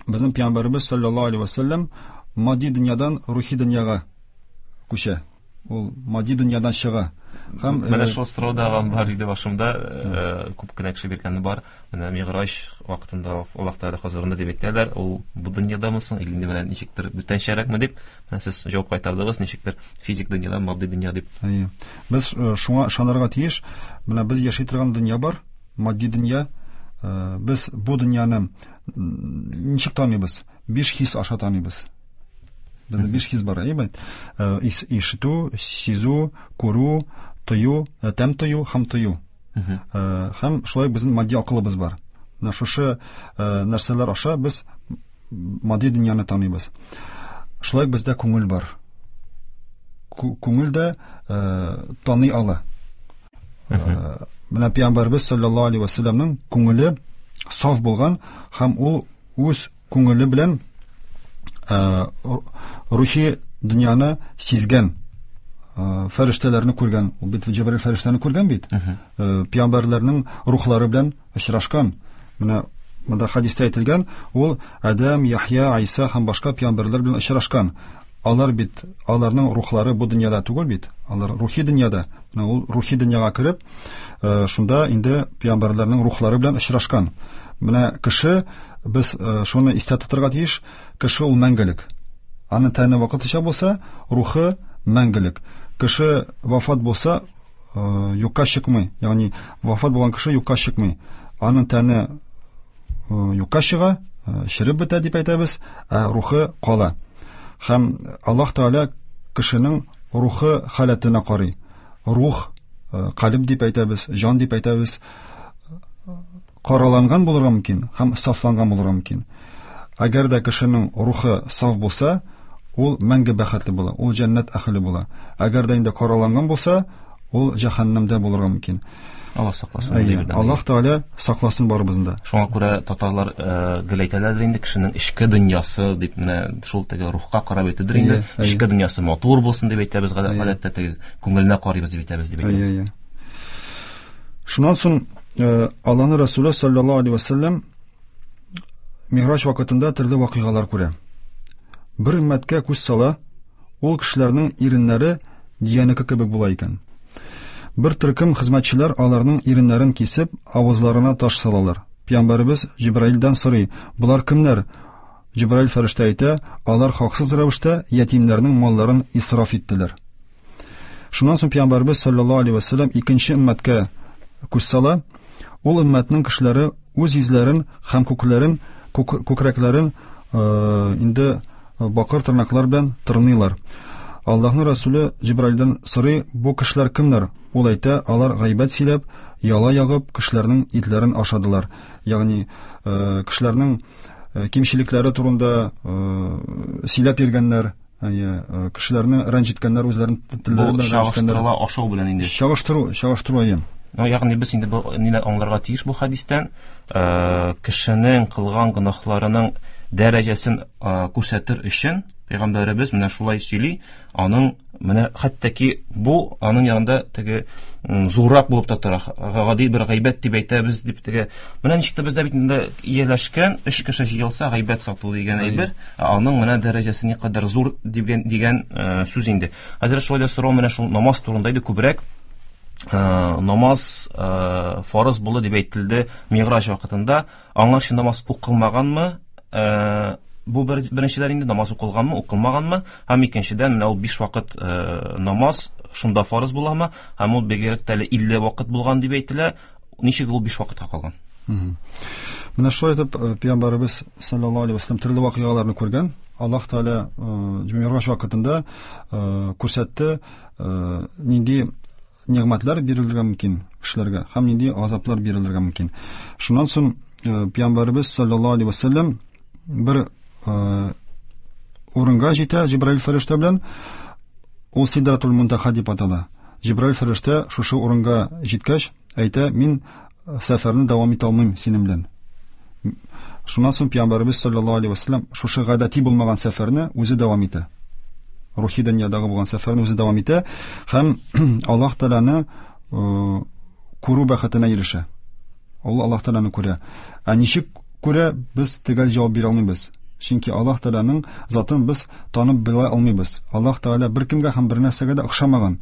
безнең пәйгамбәребез саллаллаһу алейһи ва саллям матди дөньядан рухи дөньяга күчә. Ул матди дөньядан чыга. Һәм менә шул сорау да бар иде башымда, күп кенә кеше биргәне бар. Менә Мигъраҗ вакытында Аллаһ Тәгалә хозурында дип әйтәләр, ул бу дөньядамы соң, или инде менә ничектер бүтәнчәрәкме дип, менә сез җавап кайтардыгыз, ничектер физик дөньядан матди дөнья дип. Әйе. Без шуңа ышанырга тиеш. Менә без яши торган дөнья бар, матди дөнья. Без бу дөньяны ничек таныйбыз? 5 хис аша таныйбыз. Безнең 5 хис бар, әйе бит? Ишетү, сизү, күрү, тою, тәм тою һәм тою. Һәм шулай безнең матди акылыбыз бар. Менә шушы нәрсәләр аша без матди дөньяны таныйбыз. Шулай бездә күңел бар. Күңел дә таный ала. Менә Пәйгамбәрбез саллаллаһу алейһи ва сәлләмнең күңеле саф булган һәм ул үз күңеле белән рухи дөньяны сизгән, фәрештәләрне күргән. Ул бит Җәбраил фәрештәне күргән бит. Пәйгамбәрләрнең рухлары белән очрашкан. Менә монда хәдистә әйтелгән, ул Адәм, Яхья, Айса һәм башка пәйгамбәрләр белән очрашкан. Алар бит, аларның рухлары бу дөньяда түгел бит, алар рухи дөньяда. Менә ул рухи дөньяга кереп, шунда инде пәйгамбәрләрнең рухлары белән очрашкан. Менә кеше, без шуны истә тотарга тиеш, кеше ул мәңгелек. Аның тәне вакытлыча булса, рухы мәңгелек. Кеше вафат булса, юкка чыкмый. Ягъни вафат булган кеше юкка чыкмый. Аның тәне юкка чыга, череп бетә дип әйтәбез, ә рухы кала. Һәм Аллаһ Тәгалә кешенең рухы халәтенә карый. Рух, калиб дип әйтәбез, җан дип әйтәбез, караланган булырга мөмкин һәм сафланган булырга мөмкин. Әгәр дә кешенең рухы саф булса, ул мәңге бәхетле була, ул җәннәт әһеле була. Әгәр дә инде караланган булса, ул җәһәннәмдә булырга мөмкин. Аллаһ сакласын. Аллаһ Тәгалә сакласын барыбызны да. Шуңа күрә татарлар гел әйтәләрдер инде, кешенең эчке дөньясы дип, менә шул теге рухка карап әйтүдер инде. Эчке дөньясы матур булсын дип әйтәбез, гадәттә теге күңеленә карыйбыз дип әйтәбез дип әйтәбез. Шуннан соң Аллаһның Расулы саллаллаһу алейһи ва саллям Миграҗ вакытында төрле вакыйгалар күрә. Бер өммәткә күз сала, ул кешеләрнең иреннәре диянеке кебек була икән. Бер төркем хезмәтчеләр аларның иреннәрен кисеп, авызларына таш салалар. Пәйгамбәребез Җибраилдән сорый: "Болар кемнәр?" Җибраил фәрештә әйтә: "Алар хаксыз рәвештә ятимнәрнең малларын исраф иттеләр." Шуннан соң Пәйгамбәребез саллаллаһу алейһи ва саллям икенче өммәткә күз сала. Ул өммәтнең кешеләре үз йөзләрен һәм күкләрен, күкрәкләрен инде бакыр тырнаклар белән тырныйлар. Аллаһның Расулы Җибраилдән сорый: "Бу кешеләр кемнәр?" Ул әйтә: "Алар гайбәт сөйләп, яла ягып, кешеләрнең итләрен ашадылар." Ягъни кешеләрнең кимчелекләре турында сөйләп йөргәннәр, кешеләрне рәнҗеткәннәр, үзләрен телләре белән рәнҗеткәннәр. Чагыштырыла ашау белән инде. Чагыштыру әйе. Ну, ягъни без инде бу нидән аңларга тиеш бу хәдистән, кешенең кылган гөнаһларының дәрәҗәсен күрсәтер өчен пәйгамбәребез менә шулай сөйли, аның менә хәтта ки бу аның янында теге зуррак булып та тора, гади бер гайбәт дип әйтәбез дип теге. Менә ничек тә бездә бит инде ияләшкән, өч кеше җыелса гайбәт сату дигән әйбер, аның менә дәрәҗәсе никадәр зур дигән сүз инде. Хәзер шулай да сорау менә шул намаз турында иде күбрәк. Намаз фарыз булды дип әйтелде Миграҗ вакытында. Аңарчы намаз укылмаганмы? Бу беренчедән инде намаз укылганмы, укылмаганмы? Һәм икенчедән, менә ул 5 вакыт намаз шунда фарыз буламы? Һәм ул бигрәк тә әле 50 вакыт булган дип әйтелә. Ничек ул 5 вакытка калган? Менә шулай итеп Пәйгамбәребез саллаллаһу алейһи ва саллям төрле вакыйгаларны күргән. Аллаһ Тәгалә Миграҗ вакытында күрсәтте, нинди нигъмәтләр бирелергә мөмкин кешеләргә һәм нинди газаплар бирелергә мөмкин. Шуннан соң Пәйгамбәребез саллаллаһу алейһи ва саллям бер урынга җитә Җибраил фәрештә белән. Ул Сидратул Мунтаха дип атала. Җибраил фәрештә шушы урынга җиткәч әйтә: "Мин сәфәрне дәвам итә алмыйм синең белән." Шуннан соң Пәйгамбәребез саллаллаһу алейһи ва саллям шушы гадәти булмаган сәфәрне үзе дәвам итә. Рухи дөньядагы булган сәфәрне үзе дәвам итә һәм Аллаһ Тәгаләне күрү бәхетенә ирешә. Ул Аллаһ Тәгаләне күрә. Ә ничек күрә, без төгәл җавап бирә алмыйбыз. Чөнки Аллаһ Тәгаләнең затын без танып белә алмыйбыз. Аллаһ Тәгалә беркемгә һәм бернәрсәгә дә охшамаган.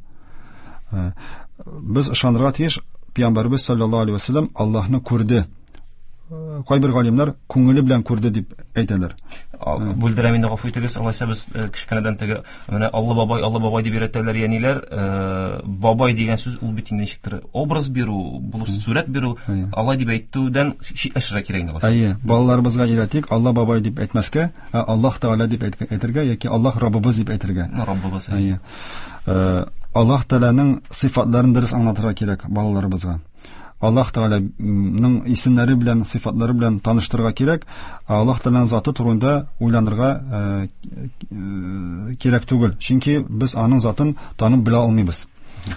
Без ышанырга тиеш, Пәйгамбәребез саллаллаһу алейһи ва саллям Аллаһны күрде. Кайбер галимнәр күңеле белән күрде дип әйтәләр. Бүлдерәм инде, гафу итегез, алайса без кечкенәдән теге менә Алла бабай, Алла бабай дип өйрәтәләр әниләр. Бабай дигән сүз ул бит инде ничектер образ бирү, булып сурәт бирү, алай дип әйтүдән читләшергә кирәк инде алайса. Әйе, балаларыбызга өйрәтик, Алла бабай дип әйтмәскә, ә Аллаһ Тәгалә дип әйтергә яки Аллаһ Раббыбыз дип әйтергә. Раббыбыз. Әйе. Аллаһ Тәгаләнең сыйфатларын дөрес аңлатырга кирәк балаларыбызга. Аллаһ Тәгаләнең исемнәре белән, сыйфатлары белән таныштырырга кирәк. Аллаһ Тәгаләнең заты турында уйланырга кирәк түгел. Чөнки без аның затын танып белә алмыйбыз.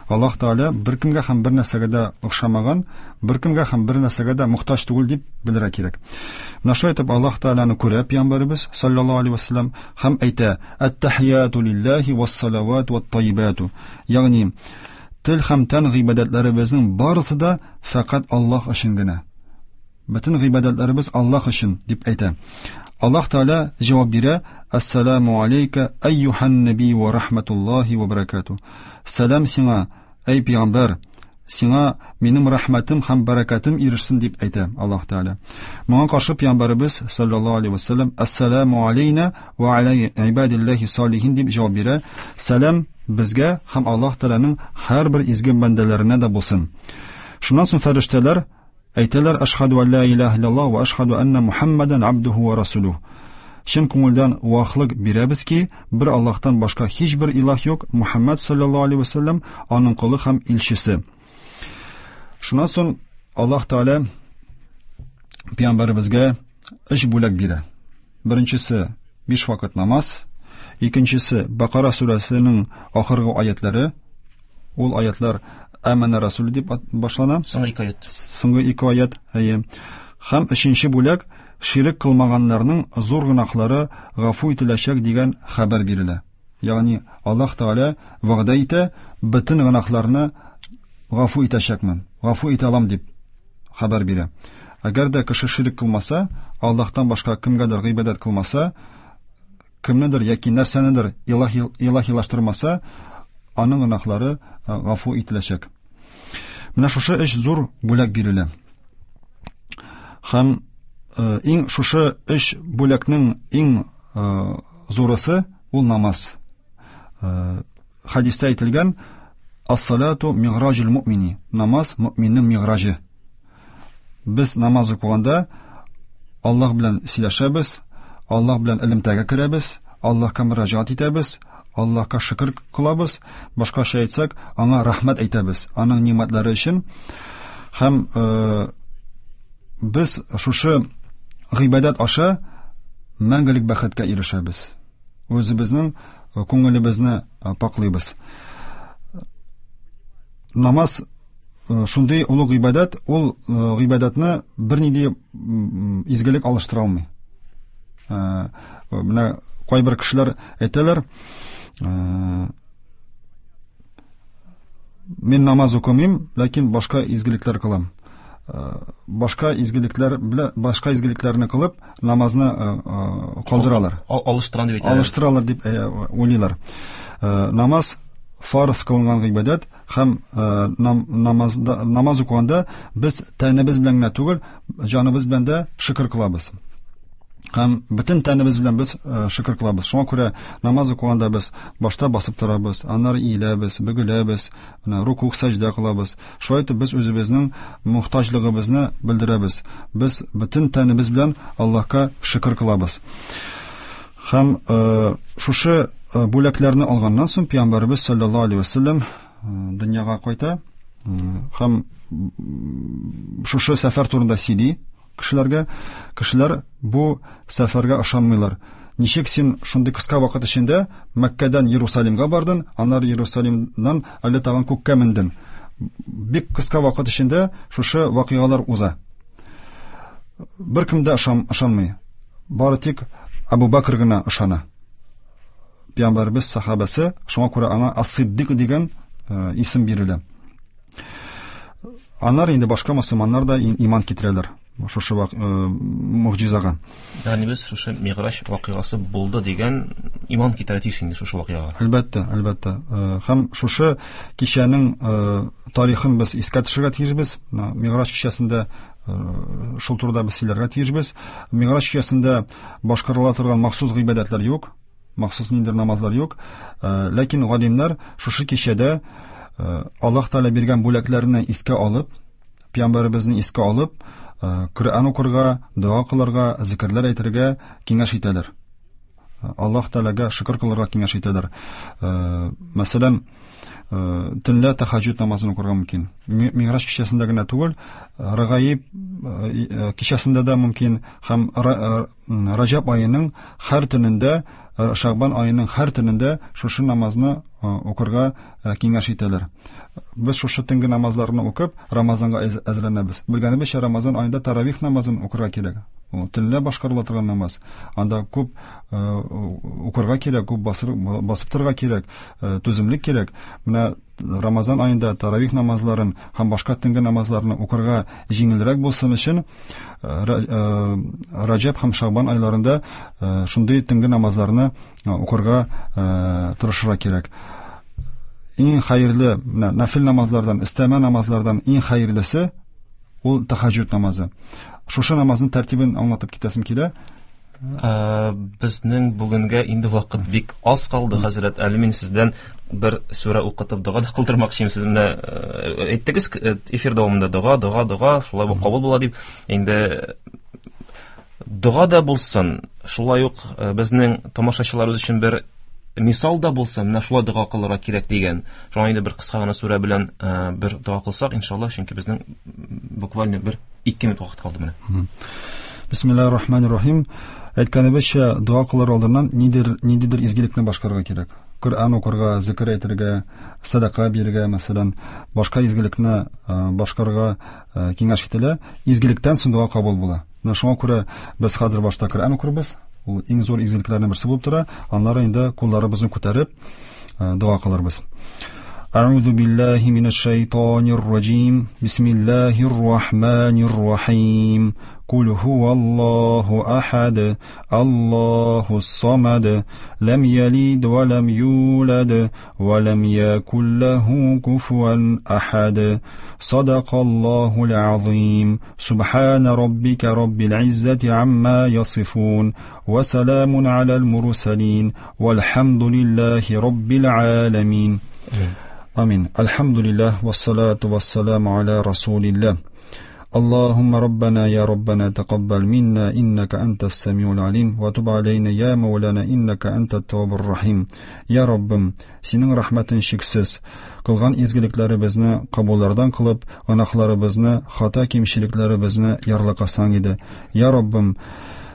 Аллаһ Тәгалә беркемгә һәм бер нәрсәгә дә охшамаган, беркемгә һәм бер нәрсәгә дә мохтаҗ түгел дип белергә кирәк. Менә шулай итеп Аллаһ Тәгаләне күрә пәйгамбәребез саллаллаһу алейһи вәсәлләм һәм әйтә: "Ат-тахияту лиллаһи вас-салават ват-тайибату." Ягъни тел һәм тән гыйбадәтләребезнең барысы да фәкать Аллаһ өчен генә. Бөтен гыйбадәтләребез Аллаһ өчен дип әйтә. Аллаһ Тәгалә җавап бирә: "Ассаламу алейка айюхан наби ва рахматуллаһи ва баракату." Сәлам сиңа, әй пәйгамбәр, сиңа минем рәхмәтем һәм бәрәкәтем ирешсен дип әйтә Аллаһ Тәгалә. Моңа каршы пәйгамбәребез саллаллаһу алейһи ва саллям "Ассаламу алейна ва аля ибадиллаһи салихин" дип җавап бирә. Сәлам безгә һәм Аллаһ Тәгаләнең һәрбер изге бәндәләренә дә булсын. Шуннан соң фәрештәләр әйтәләр: "Ашһаду ан ла илаһа иллаллаһ ва ашһаду анна Мухаммадан абдуху ва расулуһ." Чын күңелдән вахлык бирәбез ки, бер Аллаһтан башка һичбер илаһ юк, Мухаммад саллаллаһу алейһи ва саллям аның колы һәм илчесе. Шуннан соң Аллаһ Тәгалә пәйгамбәребезгә өч бүләк бирә. Беренчесе биш вакыт намаз, икенчесе Бакара сүрәсенең ахыргы аятлары. Ул аятлар Әмәнә Расуле дип башлана. Соңгы ике аят. Соңгы ике аят, әйе. Һәм өченче бүләк ширек кылмаганнарның зур гөнаһлары гафу ителәчәк дигән хәбәр бирелә. Ягъни Аллаһ Тәгалә вәгъдә итә, бөтен гөнаһларны гафу итәчәкмен, гафу итә алам дип хәбәр бирә. Әгәр дә кеше ширек кылмаса, Аллаһтан башка кемгәдер гыйбадәт кылмаса, кемнедер яки нәрсәнедер илаһилаштырмаса, аның гөнаһлары гафу ителәчәк. Менә шушы өч зур бүләк бирелә. Һәм иң шушы өч бүләкнең иң зурысы ул намаз. Хәдистә әйтелгән: "Ас-салату миграҗул муъмини." Намаз мөминнең миграҗы. Без намаз укыганда Аллаһ белән сөйләшәбез, Аллаһ белән элемтәгә керәбез, Аллаһка мөрәҗәгать итәбез, Аллаһка шөкер кылабыз, башкача әйтсәк, аңа рәхмәт әйтәбез, аның нимәтләре өчен. Һәм без шушы гыйбадәт аша мәңгелек бәхеткә ирешәбез. Үзебезнең күңелебезне паклыйбыз. Намаз шундый олуг гыйбадәт, ул гыйбадәтне бернинди изгелек алыштыра алмый. Менә кайбер кешеләр әйтәләр, мин намаз укымыйм, ләкин башка изгелекләр кылам. Башка изгелекләр белән башка изгелекләрне кылып, намазны калдыралар. Алыштырам дип әйтәләр. Алыштыралар дип уйлыйлар. Намаз фарыз кылынган гыйбадәт һәм намазда, намаз укыганда без тәнебез белән генә түгел, җаныбыз белән дә шөкер кылабыз. Һәм бөтен тәнебез белән без шөкер кылабыз. Шуңа күрә намаз укыганда без башта басып торабыз, аннары иеләбез, бөгеләбез, менә рукуг, сәҗдә кылабыз. Шулай итеп без үзебезнең мохтаҗлыгыбызны белдерәбез. Без бөтен тәнебез белән Аллаһка шөкер кылабыз. Һәм шушы бүләкләрне алганнан соң пәйгамбәребез саллаллаһу алейһи ва саллям дөньяга кайта һәм шушы сәфәр турында сөйли кешеләргә. Кешеләр бу сәфәргә ышанмыйлар. Ничек син шундый кыска вакыт эчендә Мәккәдән Иерусалимга бардың, аннары Иерусалимнан әле тагын күккә мендең? Бик кыска вакыт эчендә шушы вакыйгалар уза. Беркем дә ышанмый. Бары тик Абу Бакр гына ышана. Пәйгамбәребез сахабасы, шуңа күрә аңа Ас-Сиддик дигән исем бирелә. Аннары инде башка мөселманнар да иман китерәләр шушы могҗизага. Ягъни без шушы Миграҗ вакыйгасы булды дигән иман китерә тиеш инде шушы вакыйгага. Әлбәттә, әлбәттә. Һәм шушы кичәнең тарихын без искә төшерергә тиешбез. Миграҗ кичәсендә шул турыда без сөйләргә тиешбез. Миграҗ кичәсендә башкарыла торган махсус гыйбадәтләр юк, махсус ниндидер намазлар юк. Ләкин галимнәр шушы кичәдә Аллаһ Тәгалә биргән бүләкләрне искә алып, пәйгамбәребезне искә алып, Коръән укырга, дога кылырга, зикерләр әйтергә киңәш итәләр. Аллаһ Тәгаләгә шөкер кылырга киңәш итәләр. Мәсәлән, төнлә тәһәҗҗүд намазын укырга мөмкин. Миграҗ кичәсендә генә түгел, Рәгаиб кичәсендә дә мөмкин һәм Раҗаб аеның һәр төнендә Шәгъбан аеның һәр төнендә шушы намазны укырга киңәш итәләр. Без шушы төнге намазларны укып, Рамазанга әзерләнәбез. Белгәнебезчә, Рамазан аенда таравих намазын укырга кирәк. Ул төнлә башкарыла торган намаз. Анда күп укырга кирәк, күп басып торырга кирәк, түземлек кирәк. Менә Рамазан аенда таравих намазларын һәм башка төнге намазларны укырга җиңелрәк булсын өчен Раҗәб һәм Шәгъбан айларында шундый төнге намазларны укырга тырышырга кирәк. Иң хәерле менә нафил намазлардан, өстәмә намазлардан иң хәерлесе ул тәһәҗҗүд намазы. Шушы намазның тәртибен аңлатып китәсем килә. Безнең бүгенгә инде вакыт бик аз калды, хәзрәт. Әле мин сездән бер сүрә укытып дога да кылдырмакчы идем. Сез менә әйттегез эфир дәвамында дога, дога, дога, шулай бу кабул була дип. Инде дога да булсын, шулай ук безнең тамашачыларыбыз өчен бер мисал да булсын, менә шулай дога кылырга кирәк дигән. Шуңа инде бер кыска гына сүрә белән бер дога кылсак, иншалла, чөнки безнең буквально бер 2 минут вакыт калды менә. Бисмиллаһир рахманир рахим. Әйткәнебезчә, дога кылыр алдыннан нидер, ниндидер изгелекне башкарырга кирәк. Коръән укырга, зикер әйтергә, сәдака бирергә, мәсәлән, башка изгелекне башкарырга киңәш ителә. Изгелектән соң дога кабул була. Менә шуңа күрә без хәзер башта Коръән укырбыз. Ул иң зур изгелекләрнең берсе булып тора. Аннары инде кулларыбызны күтәреп дога кылырбыз. أعوذ بالله من الشيطان الرجيم بسم الله الرحمن الرحيم قل هو الله أحد الله الصمد لم يلد ولم يولد ولم يكن له كفوا أحد صدق الله العظيم سبحان ربك رب العزة عما يصفون وسلام على المرسلين والحمد لله رب العالمين آمين الحمد لله والصلاة والسلام على رسول الله اللهم ربنا يا ربنا تقبل منا إنك أنت السميع العليم وتب علينا يا مولانا إنك أنت التواب الرحيم يا Раббым, синең рәхмәтең чиксез. Кылган изгелекләребезне кабуллардан кылып, гөнаһларыбызны, хата кимчелекләребезне ярлыкасаң иде. Я Раббым,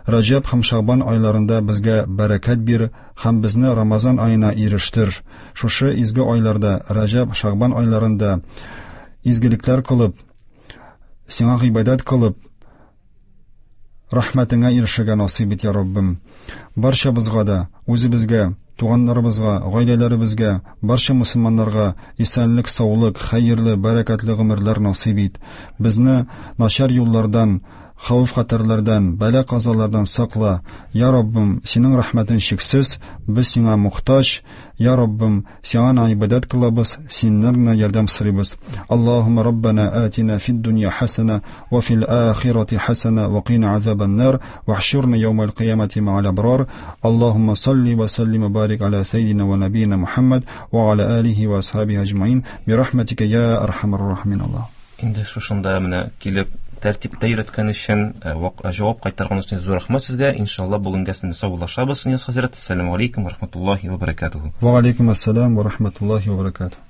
Раҗәб һәм Шәгъбан айларында безгә бәрәкәт бир һәм безне Рамазан аена ирештер. Шушы изге айларда, Раҗәб, Шәгъбан айларында изгелекләр кылып, сиңа гыйбадәт кылып, рәхмәтеңә ирешергә насыйп ит, я Раббым. Барчабызга да, үзебезгә, туганнарыбызга, гаиләләребезгә, барча мусульманнарга исәнлек, саулык, хәерле, бәрәкәтле гомерләр насыйп ит. Безне начар юллардан, хәвеф-хәтәрләрдән, бәла-казалардан сакла. Я Раббым, синең рәхмәтең чиксез, без сиңа мохтаҗ. Я Раббым, сиңа гына гыйбадәт кылабыз, синнән генә ярдәм сорыйбыз. Аллаһумма Раббана атина фид дөнья хасана ва фил ахирати хасана ва кина азабан нар вахшурна яумал кыямати ма'ал абрар. Аллаһумма салли ва саллим ва барик аля саййидина ва набийина Мухаммад ва аля алихи ва асхабихи аҗмаин би рахматика я архамар рахимин. Аллаһ. Инде шушында менә килеп тәртиптә өйрәткән өчен, җавап кайтарган өчен зур рәхмәт сезгә. Иншалла бүгенгә сезне саубуллашабыз, Нияз хәзрәт. Ассаламу алейкум ва рахматуллахи ва баракатуху. Ва алейкум ассалам ва рахматуллахи ва баракатуху.